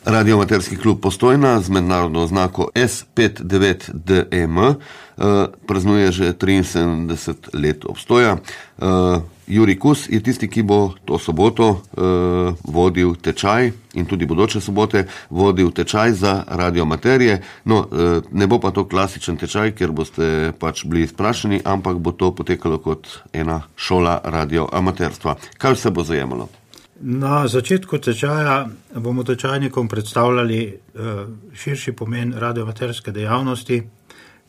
Radioamaterski klub Postojna z mednarodno oznako S59DEM praznuje že 73 let obstoja. Jurij Kus je tisti, ki bo to soboto vodil tečaj in tudi bodoče sobote vodil tečaj za radioamaterje. No, ne bo pa to klasičen tečaj, ker boste pač bili izprašeni, ampak bo to potekalo kot ena šola radioamaterstva. Kaj vse bo zajemalo? Na začetku tečaja bomo tečajnikom predstavljali širši pomen radioamaterske dejavnosti.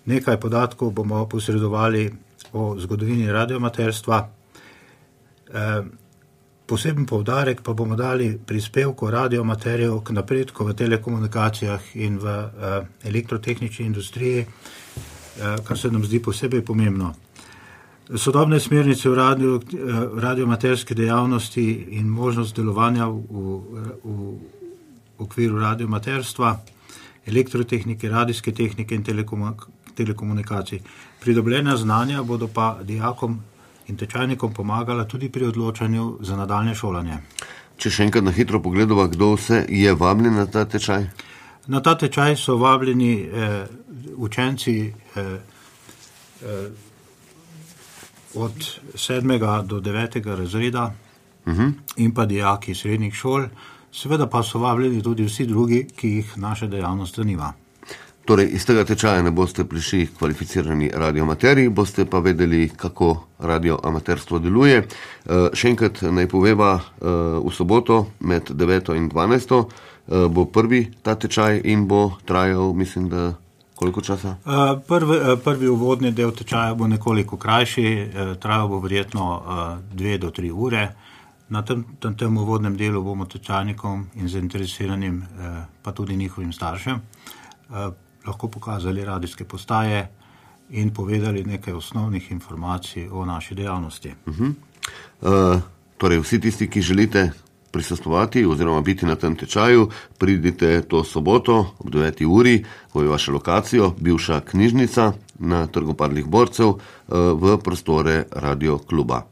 Nekaj podatkov bomo posredovali o zgodovini radioamaterstva. Poseben poudarek pa bomo dali prispevku radioamaterjev k napredku v telekomunikacijah in v elektrotehnični industriji, kar se nam zdi posebej pomembno. Sodobne smernice v radioamaterske dejavnosti in možnost delovanja v okviru radioamaterstva, elektrotehnike, radijske tehnike in telekomunikacij. Pridobljena znanja bodo pa dijakom in tečajnikom pomagala tudi pri odločanju za nadaljnje šolanje. Če še enkrat na hitro pogledava, kdo vse je vabljen na ta tečaj? Na ta tečaj so vabljeni učenci od 7. do 9. razreda in pa dijaki srednjih šol, seveda pa so vabljeni tudi vsi drugi, ki jih naša dejavnost zanima. Torej, iz tega tečaja ne boste prišli kvalificirani radioamaterji, boste pa vedeli, kako radioamaterstvo deluje. Še enkrat naj poveva, v soboto med 9. in 12. Bo prvi ta tečaj in bo trajal, mislim, da koliko časa? Prvi uvodni del tečaja bo nekoliko krajši, trajal bo verjetno 2 do 3 ure. Na tem uvodnem delu bomo tečajnikom in zainteresiranim, pa tudi njihovim staršem, lahko pokazali radijske postaje in povedali nekaj osnovnih informacij o naši dejavnosti. Torej, vsi tisti, ki želite prisostvovati oziroma biti na tem tečaju, pridite to soboto ob 9. uri v vašo lokacijo, bivša knjižnica na Trgu padlih borcev, v prostore Radio kluba.